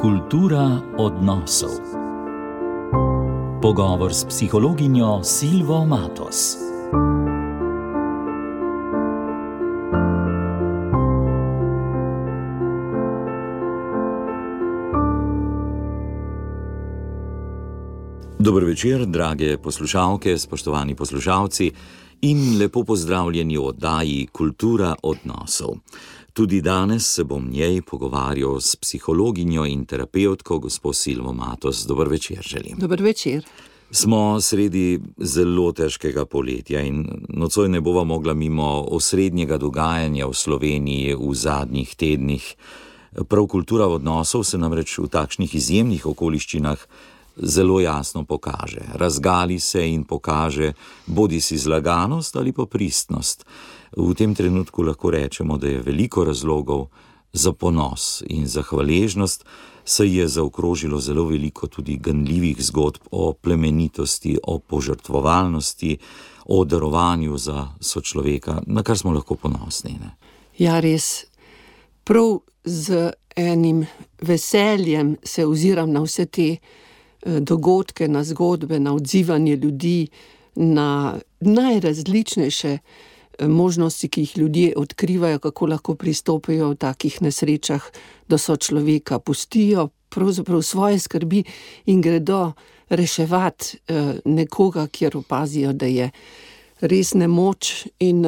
Kultura odnosov. Pogovor s psihologinjo Silvo Matos. Dober večer, drage poslušalke, spoštovani poslušalci in lepo pozdravljeni v oddaji Kultura odnosov. Tudi danes se bom njej pogovarjal s psihologinjo in terapevtko gospo Silvo Matos. Dober večer želim. Dober večer. Smo sredi zelo težkega poletja in nocoj ne bova mogla mimo osrednjega dogajanja v Sloveniji v zadnjih tednih. Prav kultura odnosov se namreč v takšnih izjemnih okoliščinah zelo jasno pokaže. Razgali se in pokaže bodisi zlaganost ali pa pristnost. V tem trenutku lahko rečemo, da je veliko razlogov za ponos in za hvaležnost, saj je zaokrožilo zelo veliko tudi ganljivih zgodb o plemenitosti, o požrtvovalnosti, o darovanju za sočloveka, na kar smo lahko ponosni. Ne? Ja, res. Prav z enim veseljem se oziram na vse te dogodke, na zgodbe, na odzivanje ljudi, na najrazličnejše možnosti, ki jih ljudje odkrivajo, kako lahko pristopijo v takih nesrečah do sočloveka, pustijo pravzaprav svoje skrbi in gredo reševati nekoga, kjer opazijo, da je res nemoč. In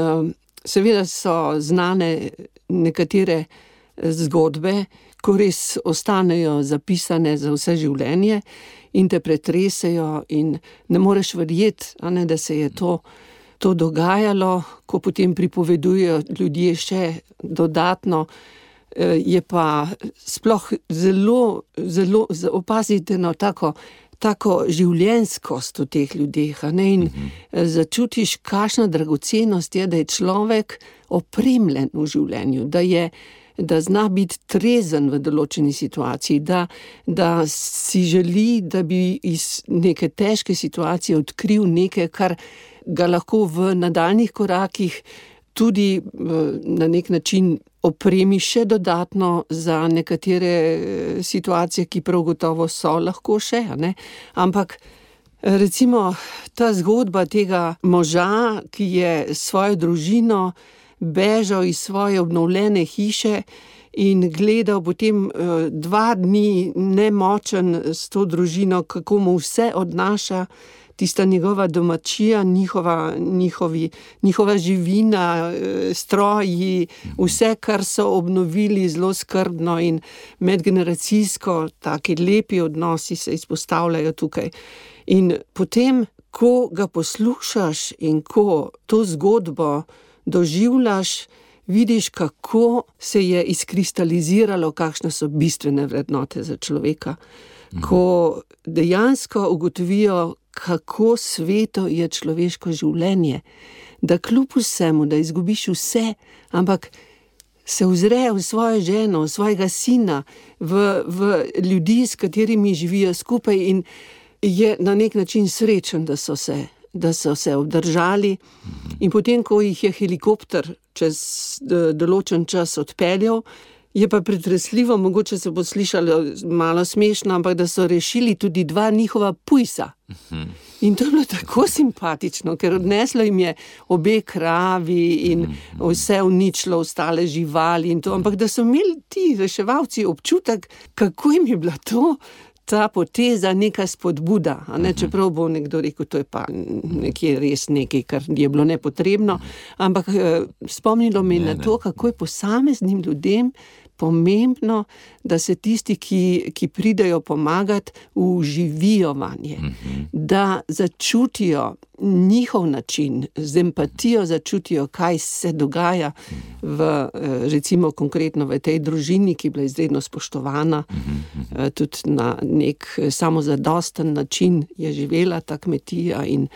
seveda so znane nekatere zgodbe, ko res ostanejo zapisane za vse življenje in te pretresejo in ne moreš verjeti, da se je to dogajalo, ko potem pripovedujejo ljudje še dodatno, je pa sploh zelo opazite tako življenjskost v teh ljudeh, in začutiš, kakšna dragocenost je, da je človek opremljen v življenju, da zna biti trezen v določeni situaciji, da si želi, da bi iz neke težke situacije odkril nekaj, kar ga lahko v nadaljnjih korakih tudi na nek način opremi še dodatno za nekatere situacije, ki prav gotovo so lahko še, Ampak recimo ta zgodba tega moža, ki je svojo družino bežal iz svoje obnovljene hiše in gledal potem 2 dni nemočen s to družino, kako mu vse odnaša tista njegova domačija, njihova živina, stroji, vse, kar so obnovili zelo skrbno in medgeneracijsko, taki lepi odnosi se izpostavljajo tukaj. In potem, ko ga poslušaš in ko to zgodbo doživljaš, vidiš, kako se je izkristaliziralo, kakšne so bistvene vrednote za človeka. Ko dejansko ugotovijo, kako sveto je človeško življenje, da kljub vsemu, da izgubiš vse, ampak se ozre v svojo ženo, v svojega sina, v ljudi, s katerimi živijo skupaj in je na nek način srečen, da so se obdržali. In potem, ko jih je helikopter čez določen čas odpeljal, je pa pretresljivo, mogoče se bo slišalo malo smešno, ampak da so rešili tudi 2 njihova pujsa. In to je bilo tako simpatično, ker odneslo jim je obe kravi in vse uničilo, ostale živali in to, ampak da so imeli ti reševalci občutek, kako jim je bila ta poteza neka spodbuda, čeprav bo nekdo rekel, to je pa nekje res nekaj, kar je bilo nepotrebno, ampak spomnilo me na to, kako je posameznim ljudem pomembno, da se tisti, ki pridejo pomagati, vživijo vanje, da začutijo njihov način, z empatijo začutijo, kaj se dogaja recimo konkretno v tej družini, ki je bila izredno spoštovana, tudi na nek samozadosten način je živela ta kmetija in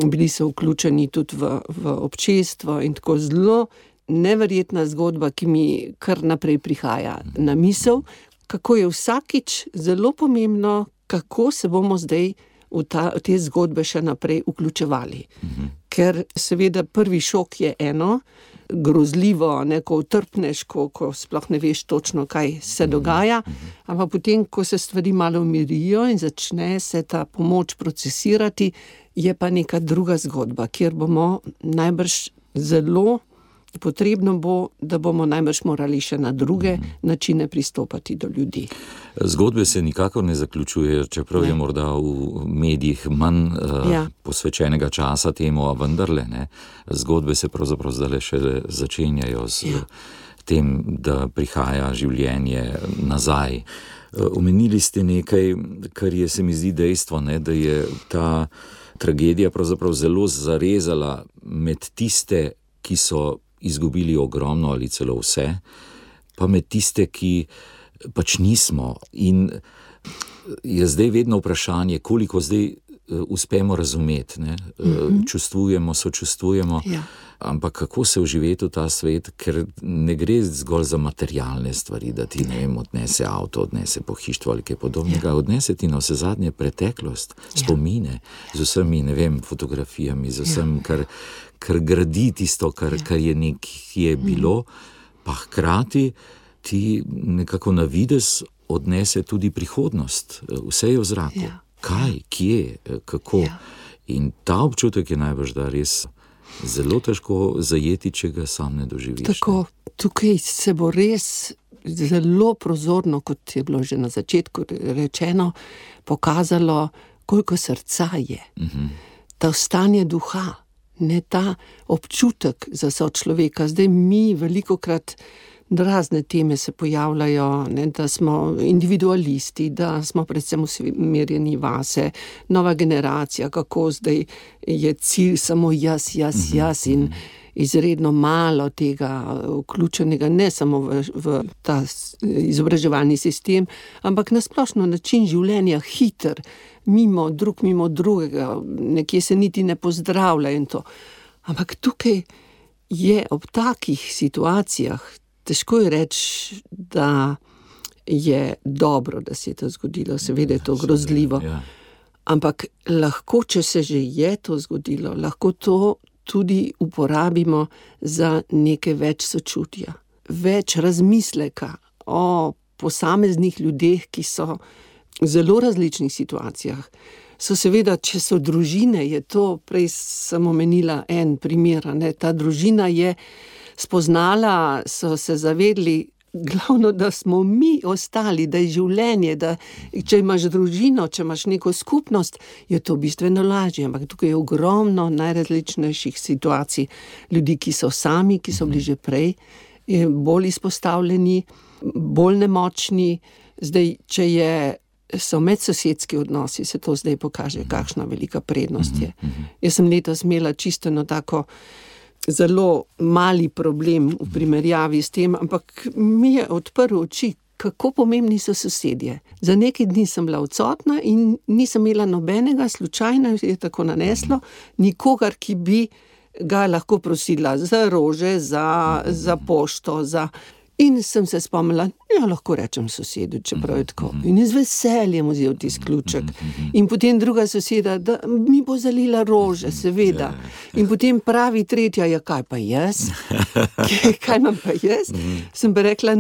bili so vključeni tudi v občestvo in tako zelo neverjetna zgodba, ki mi kar naprej prihaja na misel, kako je vsakič zelo pomembno, kako se bomo zdaj v te zgodbe še naprej vključevali. Ker seveda prvi šok je eno, grozljivo, ko utrpneš, ko sploh ne veš točno, kaj se dogaja, ampak potem, ko se stvari malo umirijo in začne se ta pomoč procesirati, je pa neka druga zgodba, kjer bomo najbrž zelo potrebno bo, da bomo najbrž morali še na druge načine pristopati do ljudi. Zgodbe se nikakor ne zaključujejo, čeprav je morda v medijih manj posvečenega časa temu, a vendarle, zgodbe se pravzaprav zdaj še začenjajo s tem, da prihaja življenje nazaj. Omenili ste nekaj, kar je, se mi zdi, dejstvo, da je ta tragedija pravzaprav zelo zarezala med tiste, ki so izgubili ogromno ali celo vse, pa med tiste, ki pač nismo. In je zdaj vedno vprašanje, koliko zdaj uspemo razumeti, čustvujemo, sočustvujemo, ampak kako se vživeti v ta svet, ker ne gre zgolj za materialne stvari, da ti, odnese avto, odnese pohištvo ali kaj podobnega, odnese ti na vse zadnje preteklost, spomine, z vsemi, fotografijami, z vsem, kar gradi tisto, kar je nekje bilo, pa hkrati ti nekako na videz odnese tudi prihodnost, vse je v zraku. Kaj, kje, kako. In ta občutek je najbrž, da res zelo težko zajeti, če ga sam ne doživiš. Tako, tukaj se bo res zelo prozorno, kot je bilo že na začetku rečeno, pokazalo, koliko srca je. Ta stanje duha, ne ta občutek za sočloveka. Zdaj mi velikokrat razne teme se pojavljajo, da smo individualisti, da smo predvsem usmerjeni vase, nova generacija, kako zdaj je cilj samo jaz in izredno malo tega vključenega, ne samo v ta izobraževalni sistem, ampak na splošno način življenja hiter, mimo drugega, nekje se niti ne pozdravlja in to. Ampak tukaj je ob takih situacijah težko je reči, da je dobro, da se je to zgodilo, seveda je to grozljivo. Ampak lahko, če se že je to zgodilo, lahko to tudi uporabimo za nekaj več sočutja, več razmisleka o posameznih ljudeh, ki so v zelo različnih situacijah. So seveda, če so družine, je to, prej sem omenila en primer, ta družina je spoznala, so se zavedli, glavno, da smo mi ostali, da je življenje, da če imaš družino, če imaš neko skupnost, je to bistveno lažje, ampak tukaj je ogromno najrazličnejših situacij, ljudi, ki so sami, ki so bili že prej, bolj izpostavljeni, bolj nemočni. Zdaj, če so medsosedski odnosi, se to zdaj pokaže, kakšna velika prednost je. Jaz sem letos imela čisto eno tako zelo mali problem v primerjavi s tem, ampak mi je odprl oči, kako pomembni so sosedje. Za nekaj dni sem bila odsotna in nisem imela nobenega, slučajno je tako naneslo, nikogar, ki bi ga lahko prosila za rože, za pošto, In sem se spomnila, lahko rečem sosedu, čeprav je tako. In z veseljem vzel tisti ključek. In potem druga soseda, da mi bo zalila rože, seveda. In potem pravi tretja, kaj pa jaz? Kaj imam pa jaz? Sem pa rekla,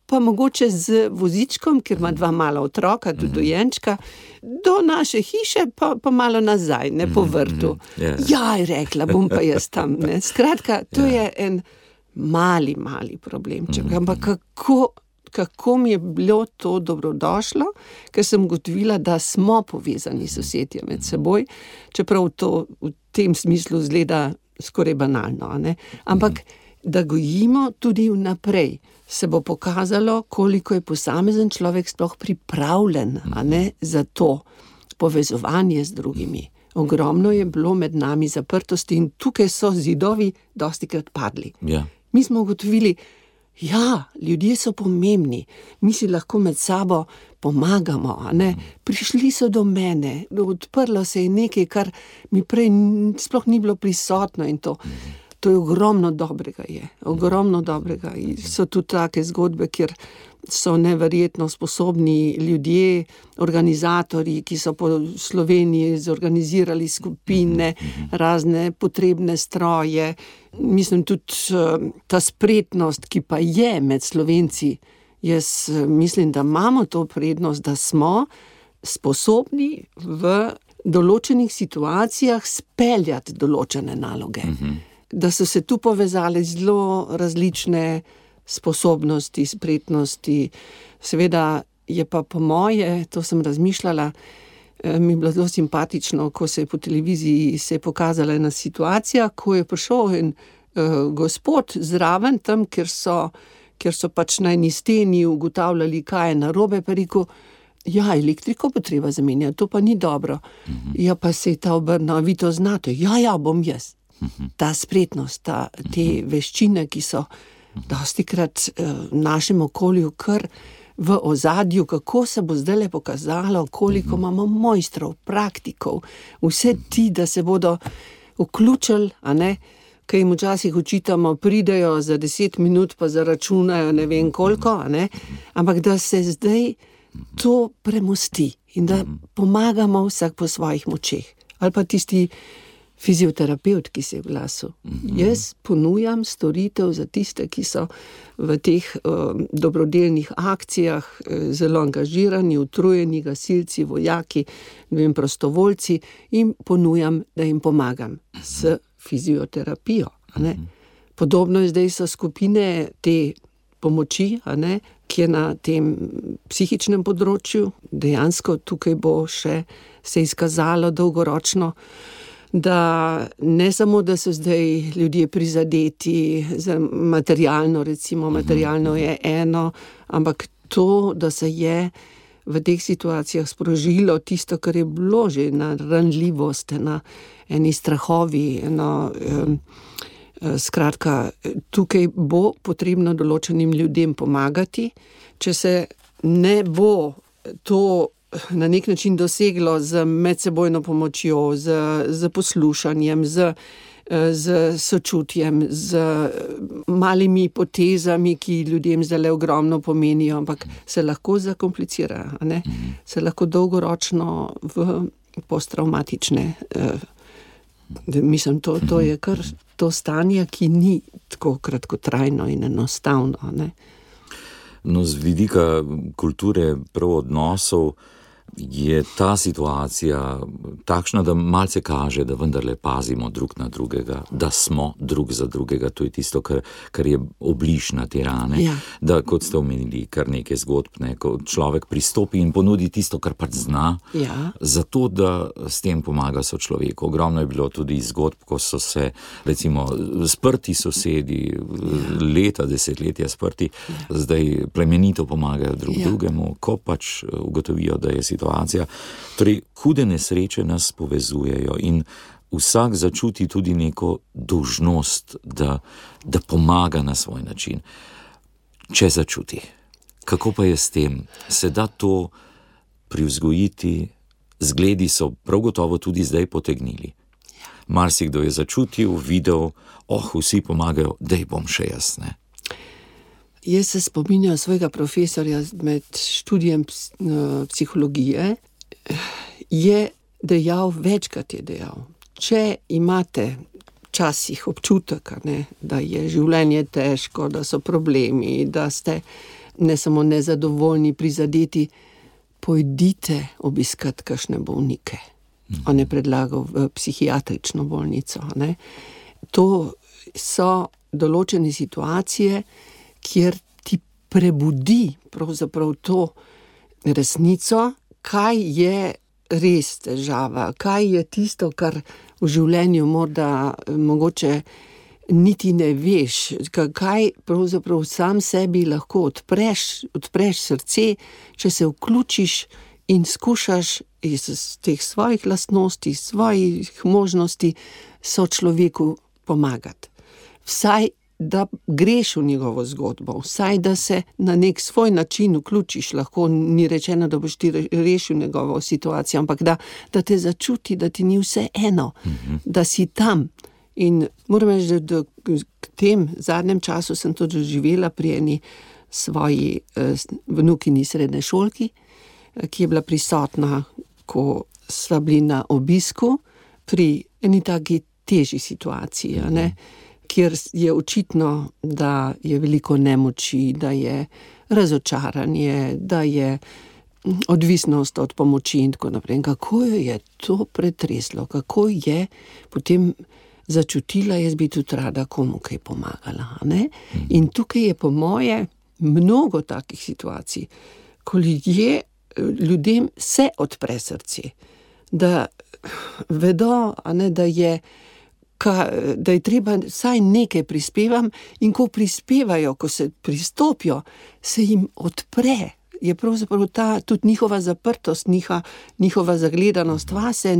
pa mogoče z vozičkom, ker ima 2 mala otroka, tudi dojenčka, do naše hiše, pa malo nazaj, po vrtu. Je rekla, bom pa jaz tam. Skratka, to je en mali problemček, ampak kako mi je bilo to dobrodošlo, ker sem ugotovila, da smo povezani sosedje med seboj, čeprav to v tem smislu zgleda skoraj banalno, ampak da gojimo tudi vnaprej, se bo pokazalo, koliko je posamezen človek sploh pripravljen, za to povezovanje z drugimi. Ogromno je bilo med nami zaprtosti in tukaj so zidovi dostikrat padli. Mi smo ugotovili, ljudje so pomembni, mi si lahko med sabo pomagamo, Prišli so do mene, odprlo se je nekaj, kar mi prej sploh ni bilo prisotno in to. To je ogromno dobrega. Ogromno dobrega. So tudi take zgodbe, kjer so neverjetno sposobni ljudje, organizatorji, ki so po Sloveniji zorganizirali skupine, razne potrebne stroje. Mislim, tudi ta spretnost, ki pa je med Slovenci, jaz mislim, da imamo to prednost, da smo sposobni v določenih situacijah speljati določene naloge. Da so se tu povezali zelo različne sposobnosti, spretnosti. Seveda je pa po moje, to sem razmišljala, mi je bilo zelo simpatično, ko se je po televiziji se je pokazala ena situacija, ko je prišel en gospod zraven tam, kjer so pač na eni steni ugotavljali, kaj je narobe, pa rekel, ja, elektriko bo treba zamenjati, to pa ni dobro. Ja, pa se je ta obrnil, vi to znate, ja, bom jaz. Ta spretnost, te veščine, ki so dostikrat v našem okolju kar v ozadju, kako se bo zdajle pokazalo, koliko imamo mojstrov, praktikov, vse ti, da se bodo vključili, a ne, kaj jim včasih učitamo, pridejo za 10 minut, pa zaračunajo ne vem koliko, a ne, ampak da se zdaj to premosti in da pomagamo vsak po svojih močeh. Ali pa tisti fizioterapeut, ki se je v glasu. Jaz ponujam storitev za tiste, ki so v teh dobrodelnih akcijah zelo angažirani, utrujeni, gasilci, vojaki, prostovoljci, in ponujam, da jim pomagam s fizioterapijo. Ne? Podobno je zdaj so skupine te pomoči, a ne, ki je na tem psihičnem področju. Dejansko tukaj bo še se izkazalo dolgoročno, da ne samo, da so zdaj ljudje prizadeti za materialno, recimo materialno je eno, ampak to, da se je v teh situacijah sprožilo tisto, kar je bilo že na ranljivost, na eni strahovi, skratka, tukaj bo potrebno določenim ljudem pomagati. Če se ne bo to na nek način doseglo z medsebojno pomočjo, z poslušanjem, z sočutjem, z malimi potezami, ki ljudem zdaj ogromno pomenijo, ampak se lahko zakomplicira, ne? Se lahko dolgoročno v posttraumatične. Mislim, to je kar to stanje, ki ni tako kratkotrajno in enostavno, ne? No, z vidika kulture prav odnosov je ta situacija takšna, da malce kaže, da vendarle pazimo drug na drugega, da smo drug za drugega, to je tisto, kar je obliž na te rane. Ja. Da, kot ste omenili, kar nekaj zgodb, ko človek pristopi in ponudi tisto, kar pač zna, zato, da s tem pomaga sočloveku. Ogromno je bilo tudi zgodb, ko so se, recimo, sprti sosedi, leta, desetletja sprti, zdaj plemenito pomagajo drugemu, ko pač ugotovijo, da je situacija. Torej, hude nesreče nas povezujejo in vsak začuti tudi neko dolžnost, da pomaga na svoj način. Če začuti. Kako pa je s tem? Se da to privzgojiti? Zgledi so prav gotovo tudi zdaj potegnili. Marsikdo je začutil, videl, vsi pomagajo, daj bom še jaz, ne? Jaz se spominjam svojega profesorja med študijem psihologije, je dejal, večkrat je dejal, če imate včasih občutek, ne, da je življenje težko, da so problemi, da ste ne samo nezadovoljni, prizadeti, pojdite obiskat kakšne bolnike. On je predlagal v psihiatrično bolnico. Ne. To so določene situacije, kjer ti prebudi pravzaprav to resnico, kaj je res težava, kaj je tisto, kar v življenju morda mogoče niti ne veš, kaj pravzaprav sam sebi lahko odpreš srce, če se vključiš in skušaš iz teh svojih lastnosti, svojih možnosti sočloveku pomagati. Vsaj da greš v njegovo zgodbo, vsaj da se na nek svoj način vključiš, lahko ni rečeno, da boš ti rešil njegovo situacijo, ampak da te začuti, da ti ni vse eno, da si tam In moram reči, da k tem zadnjem času sem to doživela pri eni svoji vnukini srednje šolki, ki je bila prisotna, ko sva bili na obisku pri eni taki težji situaciji, kjer je očitno, da je veliko nemoči, da je razočaranje, da je odvisnost od pomoči in tako naprej. In kako jo je to pretreslo, kako je potem začutila, jaz bi tudi rada komu kaj pomagala. In tukaj je po moje mnogo takih situacij, ko ljudem se odpre srce, da vedo, da je treba vsaj nekaj prispevam, in ko prispevajo, ko se pristopijo, se jim odpre. Je pravzaprav ta tudi njihova zaprtost, njihova zagledanost vase,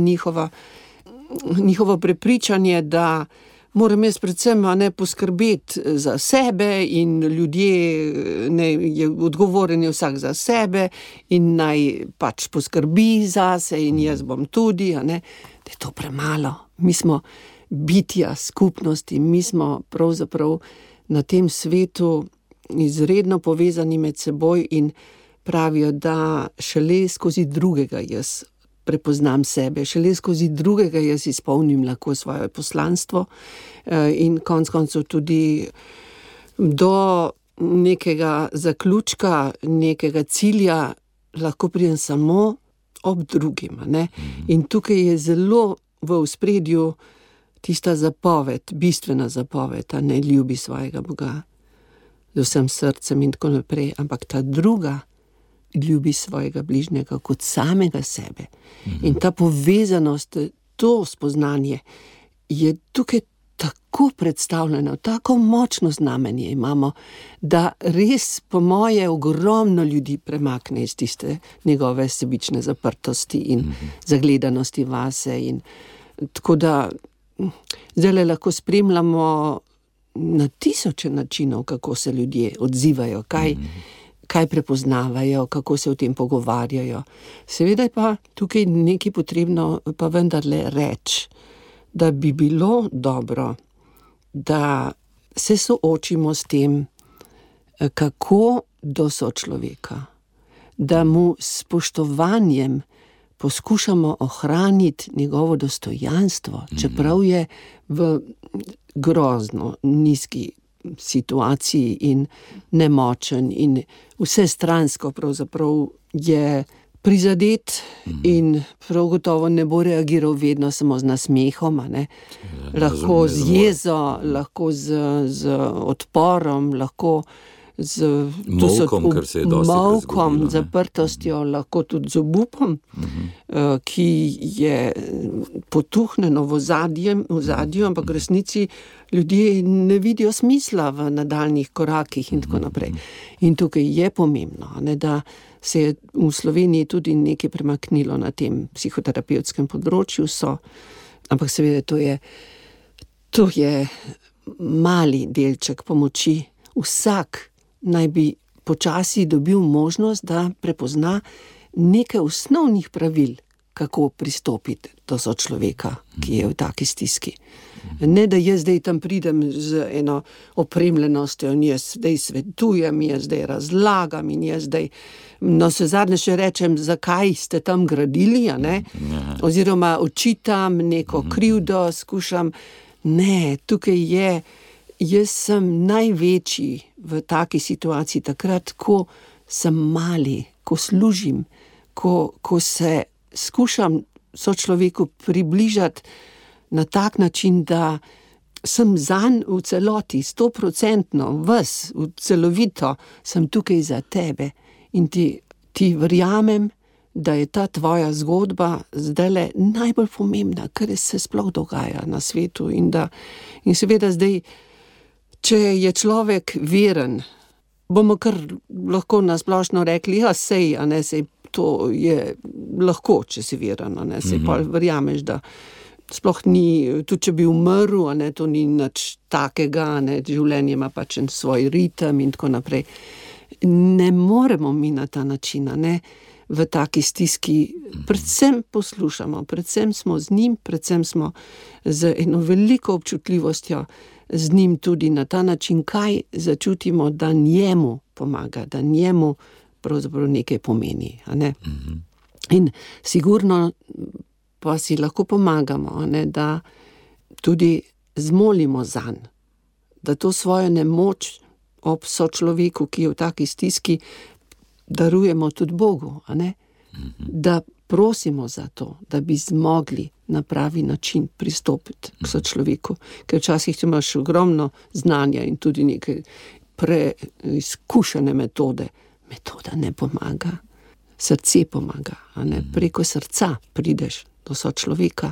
njihovo prepričanje, da moram jaz predvsem poskrbeti za sebe in ljudje, je odgovoren vsak za sebe in naj pač poskrbi zase in jaz bom tudi, da je to premalo. Mi smo bitja skupnosti, mi smo pravzaprav na tem svetu izredno povezani med seboj in pravijo, da šele skozi drugega jaz prepoznam sebe, šele skozi drugega jaz izpolnim lahko svoje poslanstvo in konec koncev tudi do nekega zaključka, nekega cilja lahko pridem samo ob drugim. In tukaj je zelo v ospredju tista zapoved, bistvena zapoved, ne ljubi svojega Boga z vsem srcem in tako naprej, ampak ta druga ljubi svojega bližnjega kot samega sebe. In ta povezanost, to spoznanje je tukaj tako predstavljeno, tako močno znamenje imamo, da res po moje ogromno ljudi premakne iz tiste njegove sebične zaprtosti in zagledanosti vase. In tako da zdaj lahko spremljamo na tisoče načinov, kako se ljudje odzivajo, kaj prepoznavajo, kako se o tem pogovarjajo. Seveda je pa tukaj nekaj potrebno pa vendarle reči, da bi bilo dobro, da se soočimo s tem, kako do sočloveka, da mu s spoštovanjem poskušamo ohraniti njegovo dostojanstvo, čeprav je v grozno nizki situaciji in nemočen in vsestransko pravzaprav je prizadet in prav gotovo ne bo reagiral vedno samo z nasmehom, lahko z jezo, lahko z odporom, lahko z molkom, zaprtostjo, lahko tudi z obupom, ki je potuhnjeno v ozadju, ampak v resnici ljudje ne vidijo smisla v nadaljnjih korakih in tako naprej. In tukaj je pomembno, da se je v Sloveniji tudi nekaj premaknilo na tem psihoterapevtskem področju, ampak seveda to je mali delček pomoči. Vsak naj bi počasi dobil možnost, da prepozna nekaj osnovnih pravil, kako pristopiti do sočloveka, ki je v taki stiski. Ne, da jaz zdaj tam pridem z eno opremljenostjo in jaz zdaj svetujem, jaz zdaj razlagam in jaz zdaj zadnje še rečem, zakaj ste tam gradili, oziroma očitam neko krivdo, skušam. Ne, tukaj je, jaz sem največji v taki situaciji takrat, ko sem mali, ko služim, ko se skušam sočloveku približati na tak način, da sem zanj v celoti, 100%, ves, celovito, sem tukaj za tebe in ti verjamem, da je ta tvoja zgodba zdajle najbolj pomembna, kar se sploh dogaja na svetu in seveda zdaj, če je človek veren, bomo kar lahko nasplošno rekli, sej to je lahko, če si veren, sej pa verjameš, da sploh ni, tudi če bi umrl, to ni nič takega, življenje ima pač en svoj ritem in tako naprej. Ne moremo mi na ta način, v taki stiski, predvsem poslušamo, predvsem smo z njim, predvsem smo z eno veliko občutljivostjo z njim tudi na ta način, kaj začutimo, da njemu pomaga, da njemu pravzaprav nekaj pomeni. A ne? In sigurno pa si lahko pomagamo, a ne, da tudi zmolimo zanj, da to svojo nemoč ob sočloveku, ki je v taki stiski, darujemo tudi Bogu, a ne? Da prosimo za to, da bi zmogli na pravi način pristopiti k sočloveku, ker včasih imaš ogromno znanja in tudi neke preizkušene metode. Metoda ne pomaga, srce pomaga, a ne? Preko srca prideš do sočloveka.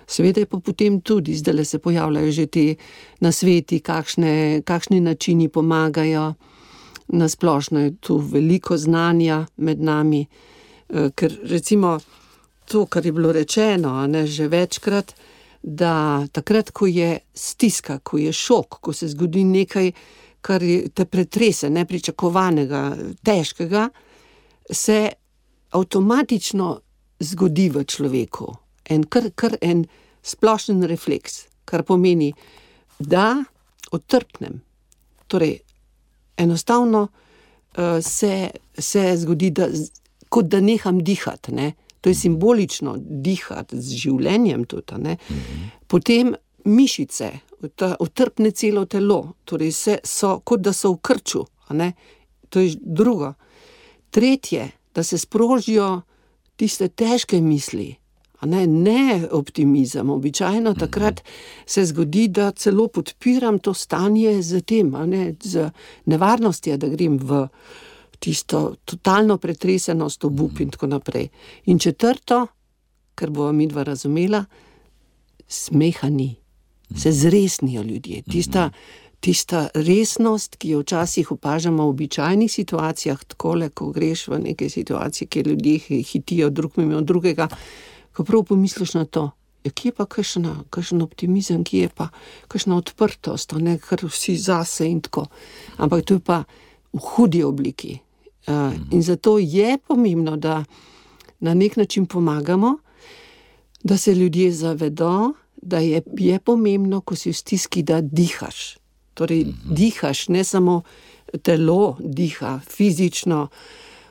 Seveda je pa potem tudi, zdaj se pojavljajo že ti nasveti, kakšni načini pomagajo. Na splošno je tu veliko znanja med nami, ker recimo to, kar je bilo rečeno, a ne, že večkrat, da takrat, ko je stiska, ko je šok, ko se zgodi nekaj, kar te pretrese, nepričakovanega, težkega, se avtomatično zgodi v človeku kar en splošen refleks, kar pomeni, da otrpnem. Torej, enostavno se zgodi, kot da neham dihati, ne? To je simbolično dihati z življenjem tudi, ne? Potem mišice, otrpne celo telo, torej so, kot da so v krču, a ne? To je drugo. Tretje, da se sprožijo tiste težke misli, a ne optimizem. Običajno takrat se zgodi, da celo podpiram to stanje z tem, a ne, z nevarnostjo, da grem v tisto totalno pretresenost, obup in tako naprej. In četrto, kar bova midva razumela, smeha ni. Se zresnijo ljudje. Tista resnost, ki jo včasih opažamo v običajnih situacijah, takole, ko greš v neke situacije, kjer ljudje hitijo drug mimo drugega, ko prav pomisliš na to, kje je pa kakšen optimizem, kje je pa kakšna odprtost, ne, kar vsi zase in tako. Ampak to je pa v hudi obliki. In zato je pomembno, da na nek način pomagamo, da se ljudje zavedo, da je pomembno, ko si v stiski, da dihaš. Torej, dihaš, ne samo telo diha, fizično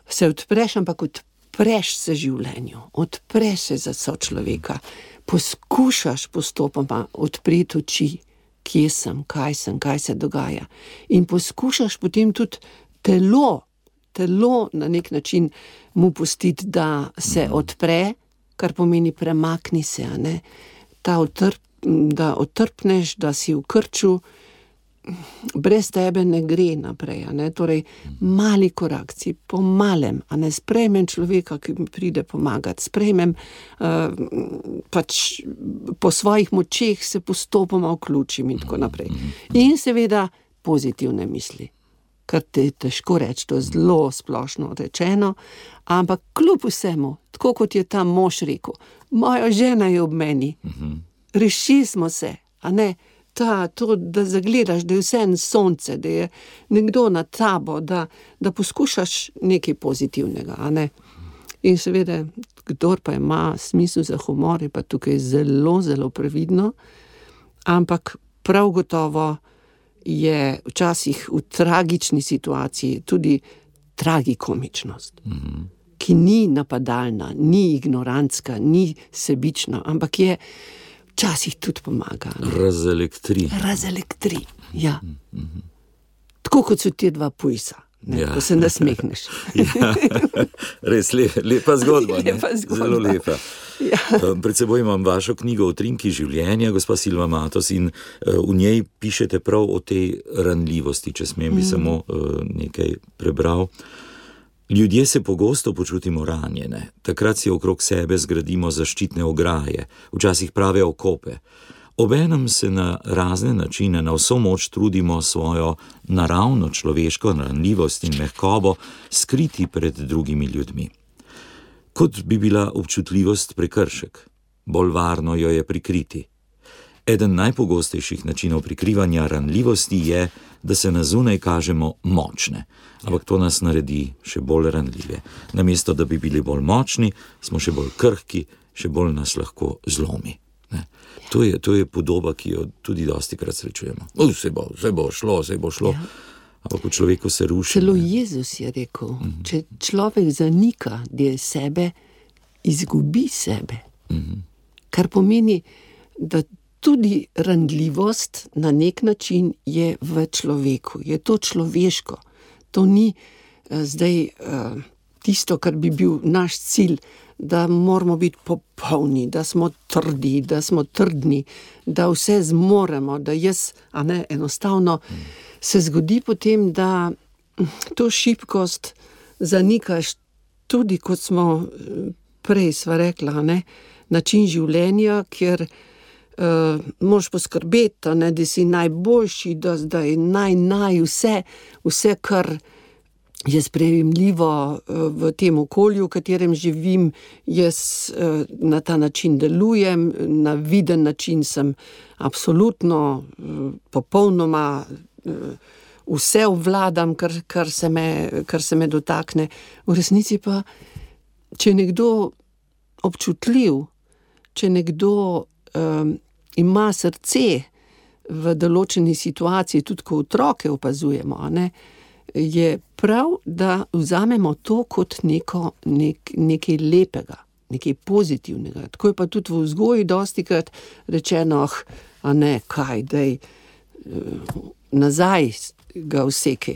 se odpreš, ampak odpreš se življenju, odpreš se za sočloveka, poskušaš postopoma odpreti oči, kje sem, kaj se dogaja. In poskušaš potem tudi telo na nek način mu pustiti, da se odpre, kar pomeni premakni se, a ne? Da otrpneš, da si v krču, brez tebe ne gre naprej, a ne? Torej, mali korakci, po malem, a ne, sprejmem človeka, ki mi pride pomagati, sprejmem pač po svojih močeh se postopoma vključim in tako naprej. In seveda pozitivne misli, kar te je težko reči, to je zelo splošno rečeno, ampak kljub vsemu, tako kot je ta mož rekel, moja žena je ob meni, rešili smo se, a ne, to, da zagledaš, da je vse en sonce, da je nekdo nad tabo, da poskušaš nekaj pozitivnega, a ne. In seveda, kdor pa ima smisel za humor, je pa tukaj zelo, zelo previdno, ampak prav gotovo je včasih v tragični situaciji tudi tragikomičnost, ki ni napadalna, ni ignorantska, ni sebična, ampak je včasih tudi pomaga. Razelektri, ja. Tako kot so te dva pujsa, ko se nasmehneš. Res lepa zgodba, ne? Zelo lepa. Pred seboj imam vašo knjigo Utrinki življenja, gospa Silva Matos, in v njej pišete prav o tej ranljivosti, če smem bi samo nekaj prebral. Ljudje se pogosto počutimo ranjene, takrat si okrog sebe zgradimo zaščitne ograje, včasih prave okope. Obenem se na razne načine na vso moč trudimo svojo naravno človeško ranljivost in mehkobo skriti pred drugimi ljudmi. Kot bi bila občutljivost prekršek, bolj varno jo je prikriti. Eden najpogostejših načinov prikrivanja ranljivosti je, da se na zunaj kažemo močne. Ampak to nas naredi še bolj ranljive. Namesto, da bi bili bolj močni, smo še bolj krhki, še bolj nas lahko zlomi. Ne? To je podoba, ki jo tudi dostikrat srečujemo. Vse bo šlo. Ja. Ampak v človeku se ruši. Celo Jezus je rekel, če človek zanika del sebe, izgubi sebe. Kar pomeni, da tudi ranljivost na nek način je v človeku. Je to človeško. To ni zdaj tisto, kar bi bil naš cilj, da moramo biti popolni, da smo trdi, da smo trdni, da vse zmoremo, da jaz, enostavno se zgodi potem, da to šibkost zanikaš tudi, kot smo prej sva rekla, način življenja, kjer moraš poskrbeti, da si najboljši, da zdaj vse, kar je sprejemljivo v tem okolju, v katerem živim, jaz na ta način delujem, na viden način sem absolutno, popolnoma vse obvladam, kar se me dotakne. V resnici pa, če je nekdo občutljiv, če nekdo ima srce v določeni situaciji, tudi ko otroke opazujemo, je prav, da vzamemo to kot nekaj lepega, nekaj pozitivnega. Tako je pa tudi v vzgoji dostikrat rečeno, kaj, daj nazaj ga vsekaj,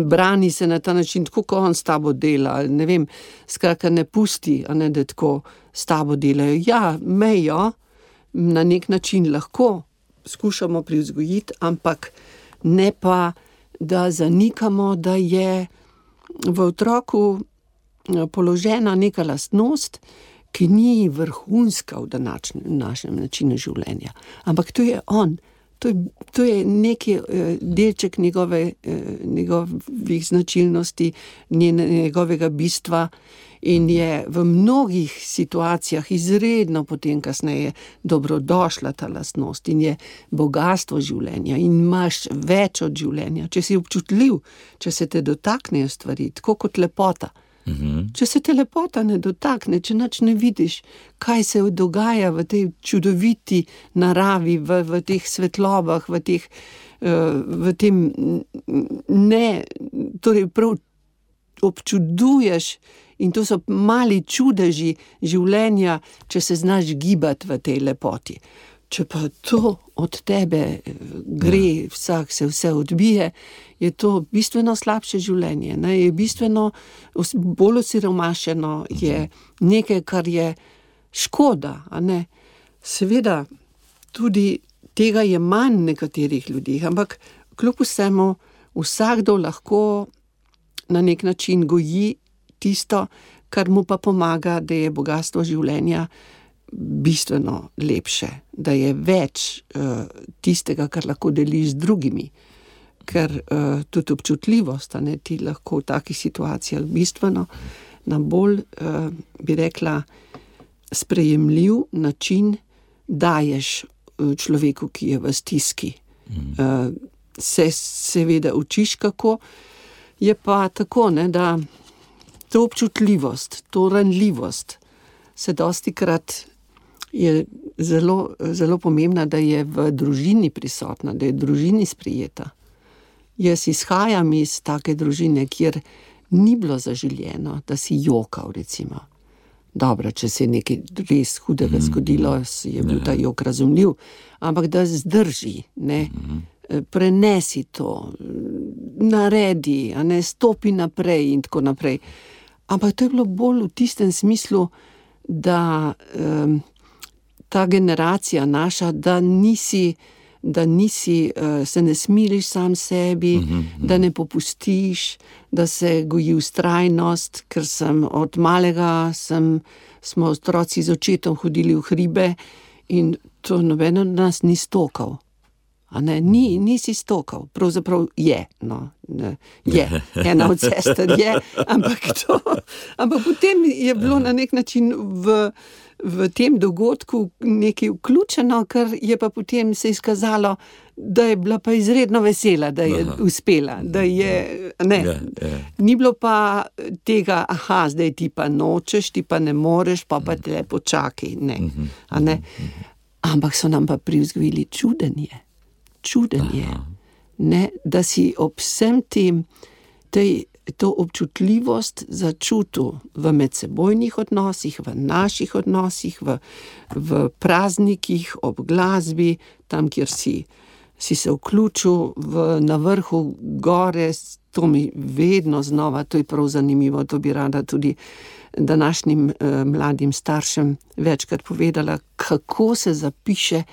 brani se na ta način, tako ko on s tabo dela, ne vem, skratka ne pusti, da tako s tabo delajo. Ja, mejo na nek način lahko skušamo privzgojiti, ampak ne pa, da zanikamo, da je v otroku položena neka lastnost, ki ni vrhunska v našem načinu življenja. Ampak to je on. To je neki delček njegovih značilnosti, njegovega bistva in je v mnogih situacijah izredno potem kasneje dobrodošla ta lastnost in je bogastvo življenja in imaš več od življenja. Če si občutljiv, če se te dotaknejo stvari, tako kot lepota. Če se te lepota ne dotakne, če nič ne vidiš, kaj se dogaja v tej čudoviti naravi, v teh svetlobah, v tem torej prav občuduješ in to so mali čudeži življenja, če se znaš gibati v tej lepoti. Če pa to od tebe gre, se vse odbije, je to bistveno slabše življenje, je bistveno bolj osiromašeno, je nekaj, kar je škoda, Seveda, tudi tega je manj nekaterih ljudi, ampak kljub vsemu vsakdo lahko na nek način goji tisto, kar mu pa pomaga, da je bogastvo življenja bistveno lepše, da je več tistega, kar lahko deliš z drugimi, ker tudi občutljivost, ti lahko v takih situacijah bistveno na bolj, bi rekla, sprejemljiv način daješ človeku, ki je v stiski. Se seveda učiš kako, je pa tako, da to občutljivost, to ranljivost se dostikrat je zelo, zelo pomembna, da je v družini prisotna, da je v družini sprejeta. Jaz izhajam iz take družine, kjer ni bilo zaželjeno, da si jokal, recimo. Dobro, če se je nekaj res hudega zgodilo, je bil ta jok razumljiv, ampak da zdrži, prenesi to, naredi, stopi naprej in tako naprej. Ampak to je bilo bolj v tistem smislu, da ta generacija naša, da nisi, se ne smiliš sam sebi, da ne popustiš, da se goji vztrajnost, ker od malega smo otroci z očetom hodili v hribe in to noben od nas ni stokal. Nisi stokal, pravzaprav je, je, ena od sester je, ampak potem je bilo na nek način v tem dogodku nekaj vključeno, kar je pa potem se izkazalo, da je bila pa izredno vesela, da je uspela, da je, ne. Ni bilo pa tega, zdaj ti pa nočeš, ti pa ne moreš, pa tle počakaj, ne. A ne. Ampak so nam pa privzgojili čudenje, ne, da si ob vsem tem, to občutljivost začutil v medsebojnih odnosih, v naših odnosih, v praznikih, ob glasbi, tam, kjer si se vključil na vrhu gore, to mi vedno znova, to je prav zanimivo, to bi rada tudi današnjim mladim staršem večkrat povedala, kako se zapiše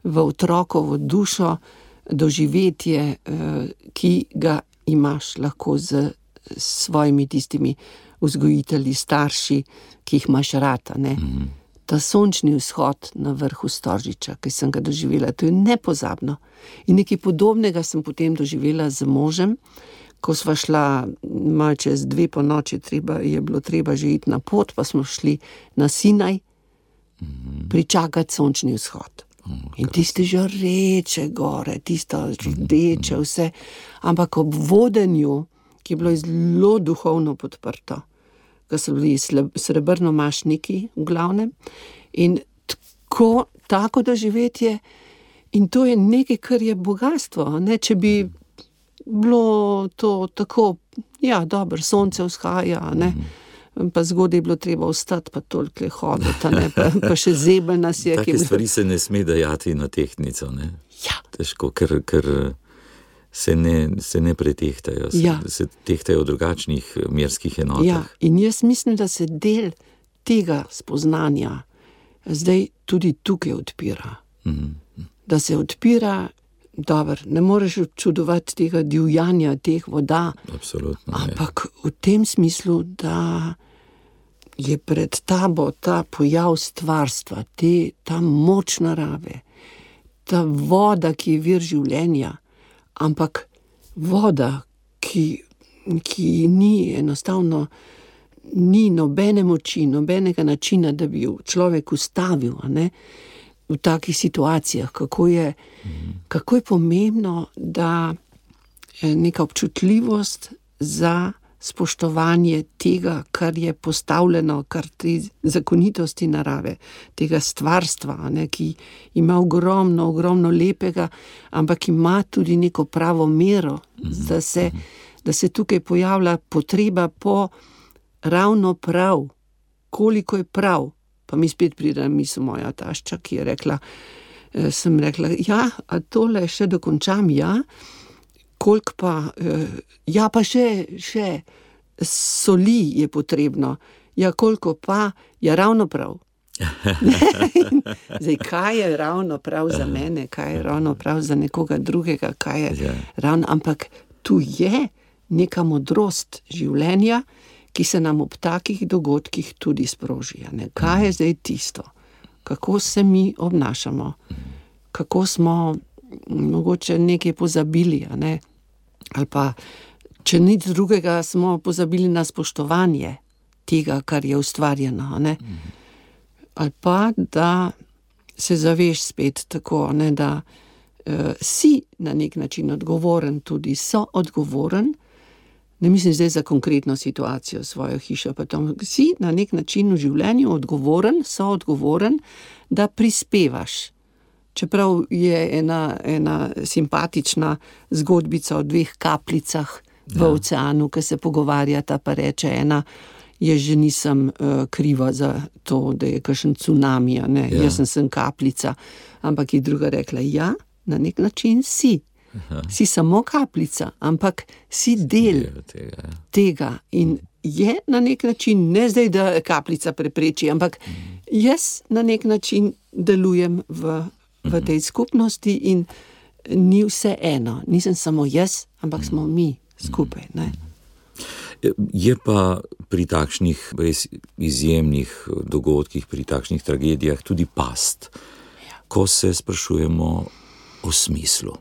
v otrokovo dušo doživetje, ki ga imaš lahko z svojimi tistimi vzgojitelji, starši, ki jih imaš rad, ne. Ta sončni vzhod na vrhu Storžiča, ki sem ga doživela, to je nepozabno. In nekaj podobnega sem potem doživela z možem, ko sva šla malo čez 2 ponoči, je bilo treba že iti na pot, pa smo šli na Sinaj pričakati sončni vzhod. In tiste žareče gore, tisto rdeče vse, ampak ob vodenju, ki je bilo zelo duhovno podprto, ko so bili srebrnomašniki v glavnem, in tako doživetje, in to je nekaj, kar je bogastvo, ne, če bi bilo to tako, dobro, sonce vzhaja, ne, pa zgodaj je bilo treba vstati, pa toliko hoditi, ne, pa še zebelj nas je. Take stvari se ne sme dajati na tehtnico, ne? Težko, ker se ne pretehtajo, se tehtajo v drugačnih merskih enotah. In jaz mislim, da se del tega spoznanja zdaj tudi tukaj odpira. Da se odpira, dobro, ne moreš občudovati tega divjanja, teh voda. Absolutno, ampak v tem smislu, da je pred tabo ta pojav stvarstva, ta moč narave, ta voda, ki je vir življenja, ampak voda, ki ni enostavno, ni nobene moči, nobenega načina, da bi jo človek ustavil, ne, v takih situacijah, kako je pomembno, da neka občutljivost za spoštovanje tega, kar je postavljeno, kar te zakonitosti narave, tega stvarstva, ne, ki ima ogromno lepega, ampak ima tudi neko pravo mero, da se tukaj pojavlja potreba po ravno prav, koliko je prav. Pa mi spet pride na misel moja tašča, ki je rekla, sem rekla, a tole še dokončam, koliko pa, pa še soli je potrebno, koliko pa, ravno prav. Zdaj, kaj je ravno prav za mene, kaj je ravno prav za nekoga drugega, kaj je ravno, ampak tu je neka modrost življenja, ki se nam ob takih dogodkih tudi sproži. Kaj je zdaj tisto? Kako se mi obnašamo? Kako smo mogoče nekaj pozabili, ne? Ali pa, če nič drugega, smo pozabili na spoštovanje tega, kar je ustvarjeno, ne? Ali pa, da se zaveš spet tako, ne, da si na nek način odgovoren, tudi soodgovoren, ne mislim zdaj za konkretno situacijo, svojo hišo, pa tam si na nek način v življenju soodgovoren, da prispevaš. Čeprav je ena simpatična zgodbica o 2 kapljicah v oceanu, ki se pogovarjata, pa reče ena, jaz že nisem kriva za to, da je kakšen cunami, ne, jaz sem kapljica, ampak je druga rekla, na nek način si. Si samo kapljica, ampak si del tega in je na nek način, ne zdaj, da kapljica prepreči, ampak jaz na nek način delujem v tej skupnosti in ni vse eno, nisem samo jaz, ampak smo mi skupaj, ne. Je pa pri takšnih res izjemnih dogodkih, pri takšnih tragedijah tudi past, ko se sprašujemo o smislu.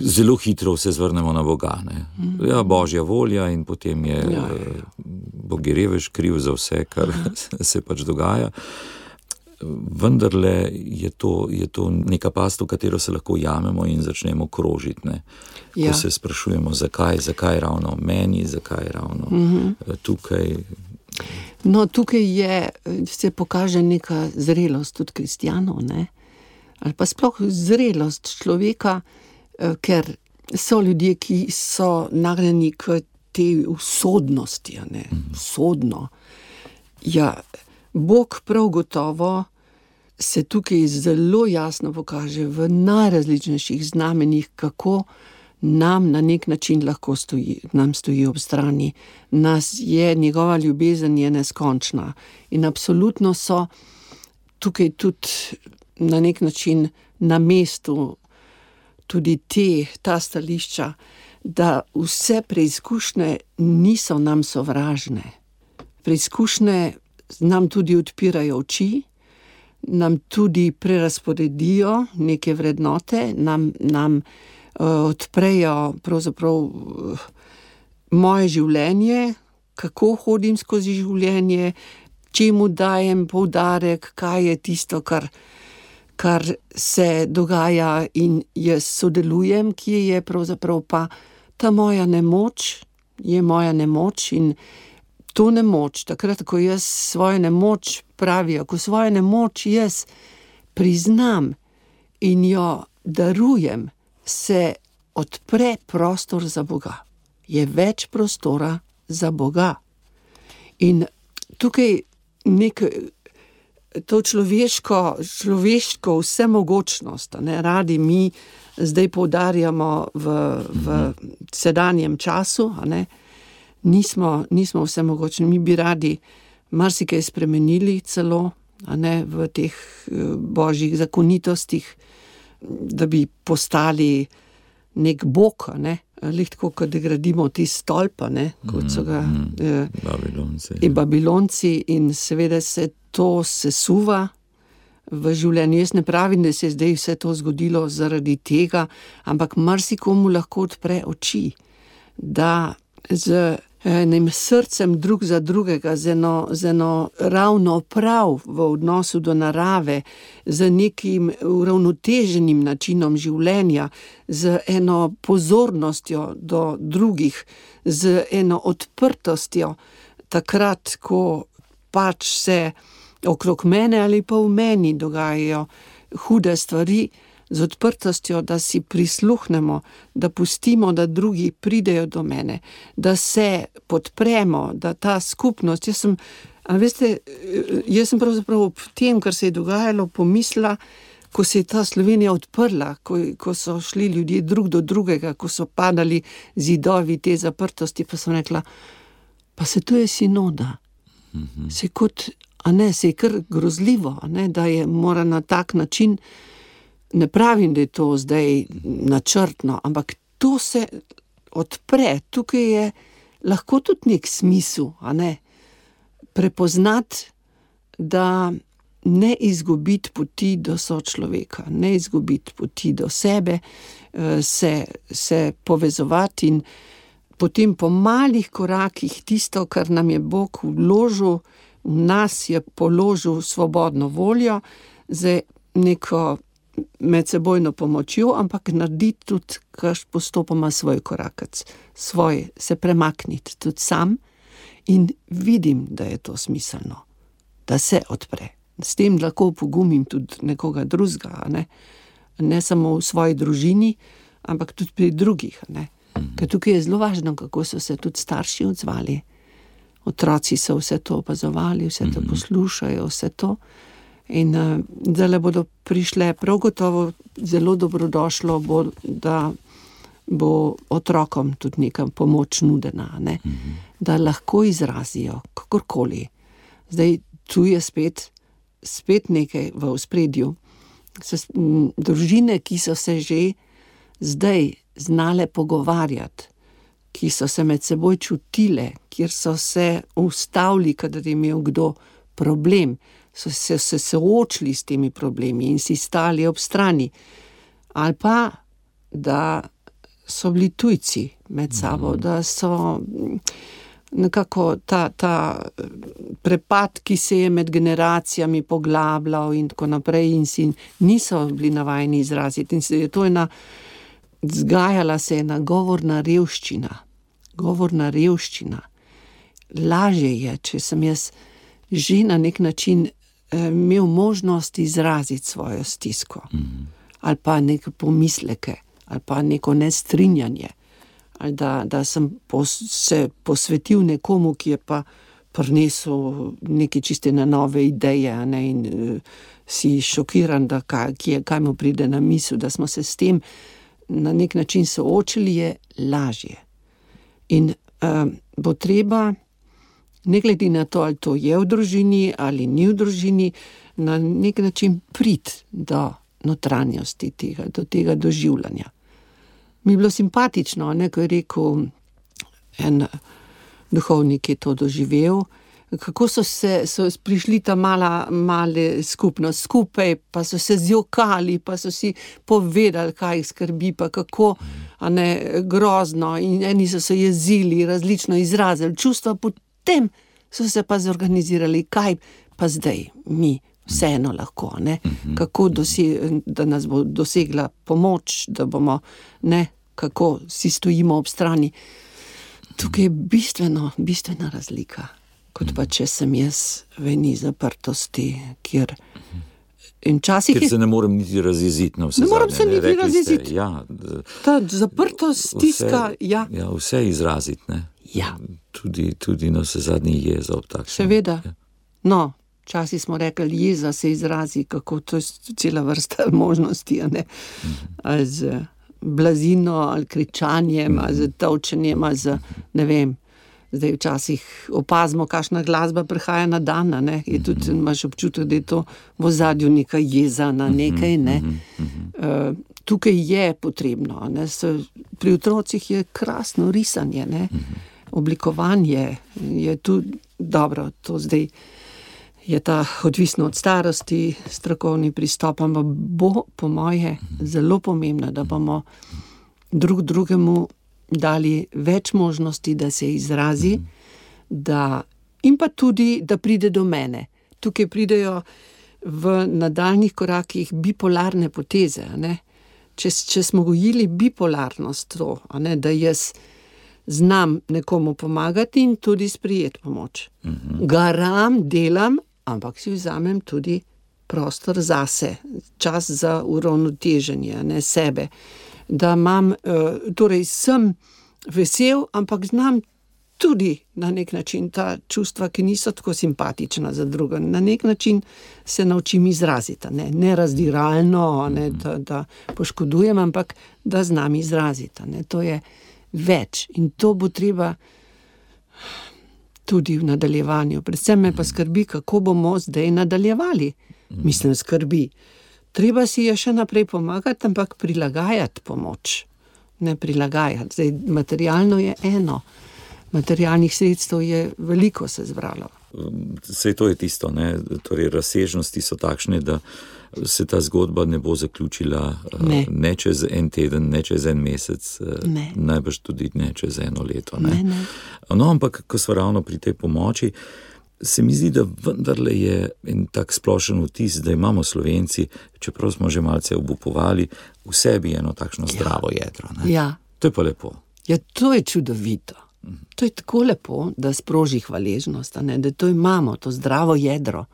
Zelo hitro se zvrnemo na Boga, ne. Božja volja in potem je Bog je revež kriv za vse, kar se pač dogaja. vendarle je to neka past, v katero se lahko jamemo in začnemo krožiti, ne. Ko se sprašujemo, zakaj ravno meni, zakaj ravno tukaj. No, tukaj se pokaže neka zrelost tudi kristjanov, ne? Ali pa sploh zrelost človeka, ker so ljudje, ki so nagnjeni k tej usodnosti, ne? Usodno. Ja, Bog prav gotovo se tukaj zelo jasno pokaže v najrazličnejših znamenjih, kako nam na nek način lahko stoji ob strani. Njegova ljubezen je neskončna in absolutno so tukaj tudi na nek način na mestu tudi ta stališča, da vse preizkušnje niso nam sovražne. Preizkušnje nam tudi odpirajo oči, nam tudi prerazporedijo neke vrednote, nam odprejo pravzaprav moje življenje, kako hodim skozi življenje, čemu dajem poudarek, kaj je tisto, kar se dogaja in jaz sodelujem, kje je pravzaprav pa ta moja nemoč, je moja nemoč in to nemoč, takrat, ko jaz svojo nemoč pravijo, ko svojo nemoč jaz priznam in jo darujem, se odpre prostor za Boga. Je več prostora za Boga. In tukaj to človeško vsemogočnost, ne, radi mi zdaj poudarjamo v sedanjem času, ne, nismo vsemogočni, mi bi radi marsikaj spremenili celo, ne, v teh božjih zakonitostih, da bi postali nek Bog, ne, tako, kot gradimo ti stolpa, ne, kot so ga Babilonci in seveda se to sesuva v življenju. Jaz ne pravim, da se je zdaj vse to zgodilo zaradi tega, ampak marsikomu lahko odpre oči, da z enim srcem drug za drugega, z eno ravno prav v odnosu do narave, z nekim uravnoteženim načinom življenja, z eno pozornostjo do drugih, z eno odprtostjo, takrat, ko pač se okrog mene ali pa v meni dogajajo hude stvari, z odprtostjo, da si prisluhnemo, da pustimo, da drugi pridejo do mene, da se podpremo, da ta skupnost, jaz sem pravzaprav ob tem, kar se je dogajalo, pomislila, ko se je ta Slovenija odprla, ko so šli ljudje drug do drugega, ko so padali zidovi te zaprtosti, pa sem rekla, pa se to je sinoda. Se je kar grozljivo, da je mora na tak način. Ne pravim, da je to zdaj načrtno, ampak to se odpre, tukaj je lahko tudi nek smisel, prepoznati, da ne izgubiti poti do sočloveka, ne izgubiti poti do sebe, se povezovati in potem po malih korakih tisto, kar nam je Bog vložil, v nas je položil svobodno voljo za neko medsebojno pomočjo, ampak narediti tudi postopoma svoj korakec, se premakniti tudi sam in vidim, da je to smiselno, da se odpre. S tem lahko pogumim tudi nekoga drugega, ne samo v svoji družini, ampak tudi pri drugih, Ker tukaj je zelo važno, kako so se tudi starši odzvali. Otroci so vse to opazovali, vse to poslušajo, vse to. In zdaj bodo prišle prav gotovo zelo dobrodošlo, da bo otrokom tudi neka pomoč nudena, da lahko izrazijo kakorkoli. Zdaj tu je spet nekaj v ospredju. Družine, ki so se že zdaj znale pogovarjati, ki so se med seboj čutile, kjer so se ustavili, kadar je imel kdo problem, so se soočili s temi problemi in si stali ob strani. Ali pa, da so bili tujci med sabo, da so nekako ta prepad, ki se je med generacijami poglabljal in tako naprej in si niso bili navajeni izraziti. In se je to zgajala se ena govorna revščina. Govorna revščina. Lažje je, če sem jaz že na nek način imel možnost izraziti svojo stisko. Ali pa neke pomisleke, ali pa neko nestrinjanje. Ali da sem se posvetil nekomu, ki je pa prinesel neke čiste na nove ideje, ne, in si šokiran, da kaj mu pride na misel, da smo se s tem na nek način soočili, je lažje. In bo treba, ne glede na to, ali to je v družini ali ni v družini, na nek način priti do notranjosti tega, do tega doživljanja. Mi je bilo simpatično, ne, ko je rekel en duhovnik, ki je to doživel, kako so prišli ta male skupnost skupaj, pa so se zjokali, pa so si povedali, kaj jih skrbi, pa kako grozno, in eni so se jezili, različno izrazili čustva, potem so se pa zorganizirali, kaj pa zdaj mi vseeno lahko, ne? Kako da nas bo dosegla pomoč, da bomo, ne, kako si stojimo ob strani. Tukaj je bistvena razlika, kot pa če sem jaz v eni zaprtosti, kjer se ne morem niti razjeziti na vse zadnje. Ne morem se niti razjeziti. Ja, ta zaprtost, stiska, ja, vse izraziti, ne. Ja. Tudi na vse zadnje jeza ob takšnem. Seveda. Ja. No, včasih smo rekli, jeza se izrazi, kako to je cela vrsta možnosti, a ne. Ali z blazino, ali kričanjem, ali z tolčenjem, ali z, ne vem, zdaj včasih opazimo, kakšna glasba prihaja na dan, ne, je tudi, imaš občutek, da je to v ozadju neka jeza na nekaj, ne. Tukaj je potrebno, ne, pri otrocih je krasno risanje, ne, oblikovanje je tu dobro, to zdaj je ta odvisno od starosti, strokovni pristop, ampak bo po moje zelo pomembno, da bomo drugemu dali več možnosti, da se izrazi, in pa tudi, da pride do mene. Tukaj pridejo v nadaljnjih korakih bipolarne poteze, ne? Če smo gojili bipolarnost, to, ne, da jaz znam nekomu pomagati in tudi sprejeti pomoč. Garam, delam, ampak si vzamem tudi prostor zase, čas za uravnoteženje, ne, sebe. Da imam, torej sem vesel, ampak znam tudi na nek način ta čustva, ki niso tako simpatična za druga. Na nek način se naučim izraziti, ne razdiralno, ne, da poškodujem, ampak da znam izraziti. Ne. To je več in to bo treba tudi v nadaljevanju. Predvsem me pa skrbi, kako bomo zdaj nadaljevali. Mislim, skrbi. Treba si je še naprej pomagati, ampak prilagajati pomoč. Ne prilagajati. Zdaj, materialno je eno. Materialnih sredstev je veliko se zbralo. Sej to je tisto, ne? Torej, razsežnosti so takšne, da se ta zgodba ne bo zaključila ne čez en teden, ne čez en mesec, najbrž tudi ne čez eno leto. Ne? No, ampak, ko smo ravno pri tej pomoči, se mi zdi, da vendarle je en tak splošen vtis, da imamo Slovenci, čeprav smo že malce obupovali, v sebi eno takšno zdravo jedro. Ne? Ja. To je pa lepo. Ja, to je čudovito. To je tako lepo, da sproži hvaležnost, ne? Da to imamo, to zdravo jedro.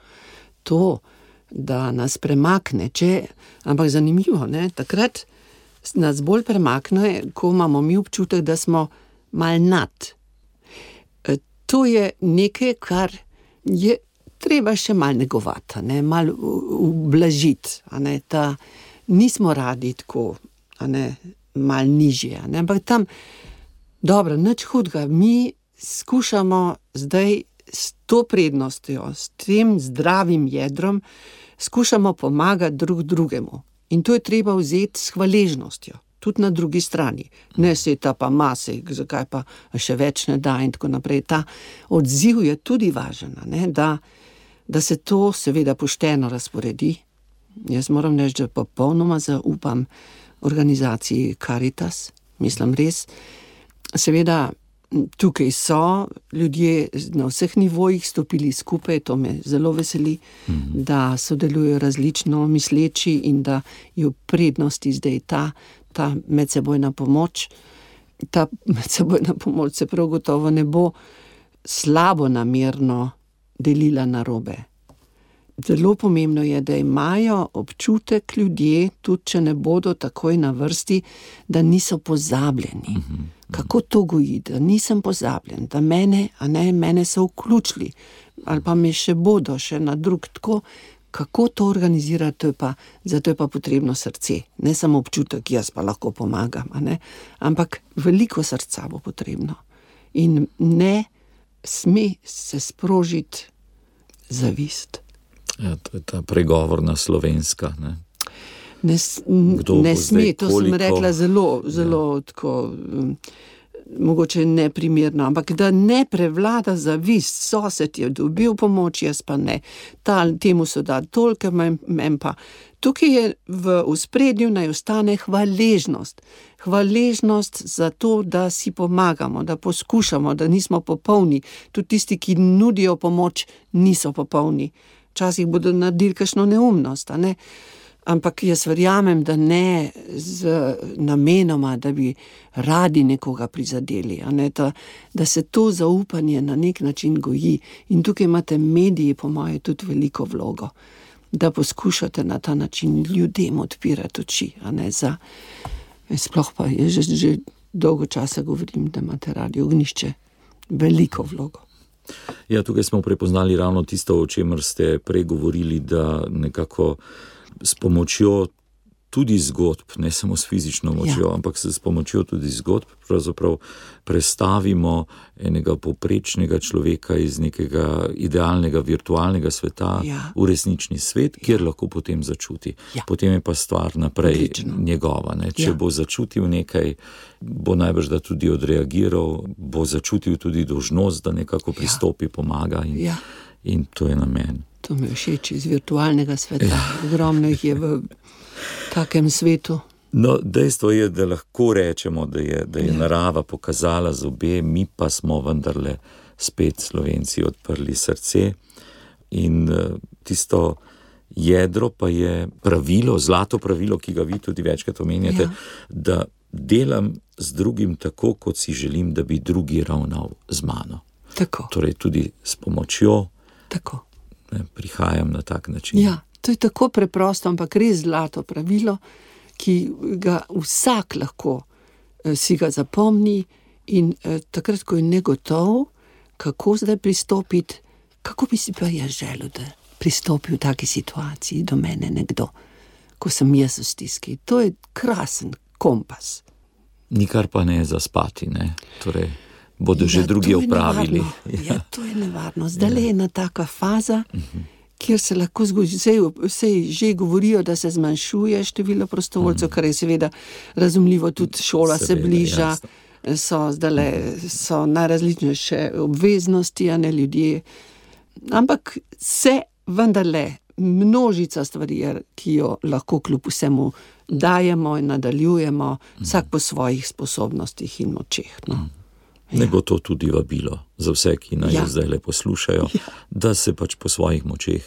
To, da nas premakne, ampak zanimivo, ne? Takrat nas bolj premakne, ko imamo mi občutek, da smo mal nad. To je nekaj, kar je treba še mal negovati, ne? Mal ublažiti, ne? Nismo radi tako, ne? Mal nižje, ne? Ampak tam, dobro, nič hudega, mi skušamo zdaj s to prednostjo, s tem zdravim jedrom, skušamo pomagati drugemu. In to je treba vzeti s hvaležnostjo, tudi na drugi strani. Ne se ta pa mase, zakaj pa še več ne da in tako naprej. Ta odziv je tudi važen, ne? Da se to seveda pošteno razporedi. Jaz moram reči, da popolnoma zaupam organizaciji Caritas, mislim res. Seveda tukaj so ljudje na vseh nivojih stopili skupaj, to me zelo veseli, da sodelujo različno misleči in da je v prednosti zdaj ta medsebojna pomoč. Ta medsebojna pomoč se prav gotovo ne bo slabo namerno delila narobe. Zelo pomembno je, da imajo občutek ljudje, tudi če ne bodo takoj na vrsti, da niso pozabljeni. Kako to goji, da nisem pozabljen, da mene so vključili, ali pa me še bodo, še na drug tako. Kako to organizirati, zato je pa potrebno srce. Ne samo občutek, jaz pa lahko pomagam, ampak veliko srca bo potrebno. In ne sme se sprožiti zavist. Ja, to je ta pregovorna slovenska, ne? Ne sme, to sem rekla zelo tako, mogoče neprimerno, ampak da ne prevlada zavist, sosed je dobil pomoč, jaz pa ne. Temu so dali toliko, men pa. Tukaj je v ospredju naj ostane hvaležnost. Hvaležnost za to, da si pomagamo, da poskušamo, da nismo popolni. Tudi tisti, ki nudijo pomoč, niso popolni. Včasih bodo naredili kakšno neumnost, Ampak jaz verjamem, da ne z namenoma, da bi radi nekoga prizadeli, da se to zaupanje na nek način goji. In tukaj imate mediji, po moje, tudi veliko vlogo, da poskušate na ta način ljudem odpirati oči. Sploh pa je že dolgo časa govorim, da imate Radio Ognjišče veliko vlogo. Ja, tukaj smo prepoznali ravno tisto, o čemer ste prej govorili, da nekako s pomočjo tudi zgodb, ne samo s fizično močjo, ampak s pomočjo tudi zgodb pravzaprav prestavimo enega povprečnega človeka iz nekega idealnega virtualnega sveta v resnični svet, kjer lahko potem začuti. Potem je pa stvar naprej njegova. Če bo začutil nekaj, bo najbrž da tudi odreagiral, bo začutil tudi dolžnost, da nekako pristopi, pomaga in to je namen. To mi je všeč iz virtualnega sveta. Ogromno jih je v takem svetu. No, dejstvo je, da lahko rečemo, da je narava pokazala zobe, mi pa smo vendarle spet Slovenci odprli srce in tisto jedro pa je pravilo, zlato pravilo, ki ga vi tudi večkrat omenjate, da delam z drugim tako, kot si želim, da bi drugi ravnal z mano. Tako. Torej tudi s pomočjo. Tako. Prihajam na tak način. Ja, to je tako preprosto, ampak res zlato pravilo, ki ga vsak lahko si ga zapomni in takrat, ko je negotov, kako zdaj pristopiti, kako bi si pa jaz želel, da pristopi v taki situaciji do mene nekdo, ko sem jaz v stiski. To je krasen kompas. Nikar pa ne zaspati, ne? Torej, bodo že drugi opravili. To je nevarno. Zdaj je ena taka faza, kjer se lahko zgodi, vsej že govorijo, da se zmanjšuje število prostovoljcev, kar je seveda razumljivo, tudi šola se bliža, so najrazličnejše obveznosti, ljudje. Ampak se vendarle množica stvari, ki jo lahko kljub vsemu dajemo in nadaljujemo, vsak po svojih sposobnostih in močeh. Ne bo to tudi vabilo za vse, ki naj zdaj poslušajo, da se pač po svojih močeh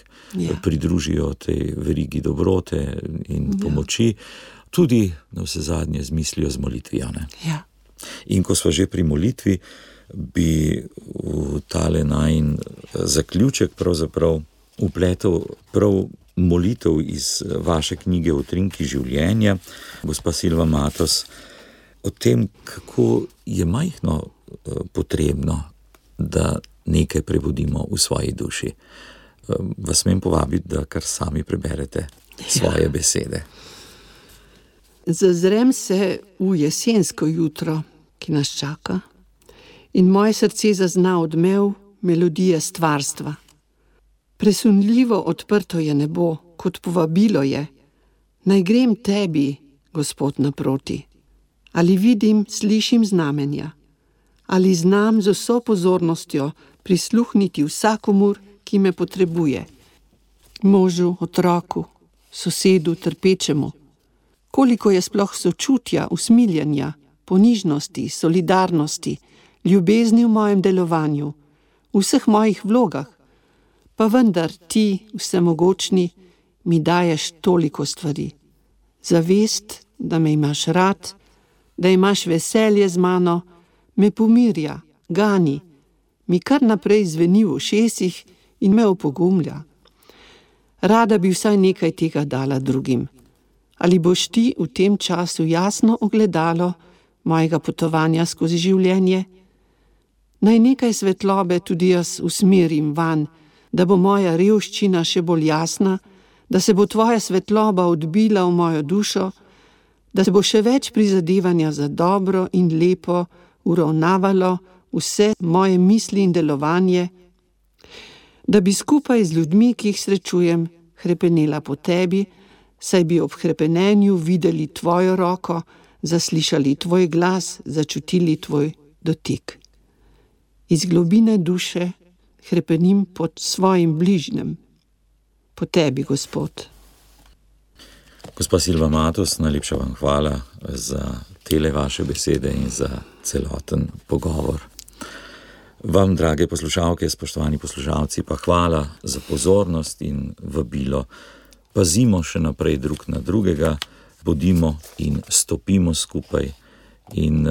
pridružijo tej verigi dobrote in pomoči, tudi na vse zadnje z mislijo z molitvijo. In ko sva že pri molitvi, bi v tale najin zaključek pravzaprav vpletel prav molitev iz vaše knjige Utrinki življenja, gospa Silva Matos, o tem, kako je majhno potrebno, da nekaj prebudimo v svoji duši. Vas smem povabiti, da kar sami preberete svoje besede. Zazrem se v jesensko jutro, ki nas čaka, in moje srce zazna odmev melodije stvarstva. Presunljivo odprto je nebo, kot povabilo je. Naj grem tebi, Gospod, naproti. Ali vidim, slišim znamenja. Ali znam z vso pozornostjo prisluhniti vsakomur, ki me potrebuje. Možu, otroku, sosedu, trpečemu. Koliko je sploh sočutja, usmiljenja, ponižnosti, solidarnosti, ljubezni v mojem delovanju, v vseh mojih vlogah, pa vendar ti, vsemogočni, mi daješ toliko stvari. Zavest, da me imaš rad, da imaš veselje z mano, me pomirja, gani, mi kar naprej zveni v ušesih in me opogumlja. Rada bi vsaj nekaj tega dala drugim. Ali boš ti v tem času jasno ogledalo mojega potovanja skozi življenje? Naj nekaj svetlobe tudi jaz usmerim van, da bo moja revščina še bolj jasna, da se bo tvoja svetloba odbila v mojo dušo, da se bo še več prizadevanja za dobro in lepo uravnavalo vse moje misli in delovanje, da bi skupaj z ljudmi, ki jih srečujem, hrepenela po tebi, saj bi ob hrepenenju videli tvojo roko, zaslišali tvoj glas, začutili tvoj dotik. Iz globine duše hrepenim pod svojim bližnjem, po tebi, Gospod. Gospa Silva Matos, najlepša vam hvala za tele vaše besede in za celoten pogovor. Vam, drage poslušalke, spoštovani poslušalci, pa hvala za pozornost in vabilo. Pazimo še naprej drug na drugega, bodimo in stopimo skupaj in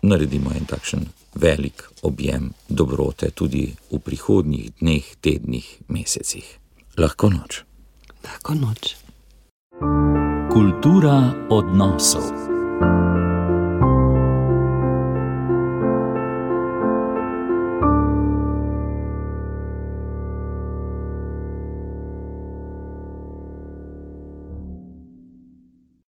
naredimo en takšen velik objem dobrote tudi v prihodnjih dneh, tednih, mesecih. Lahko noč. Lahko noč. Kultura odnosov.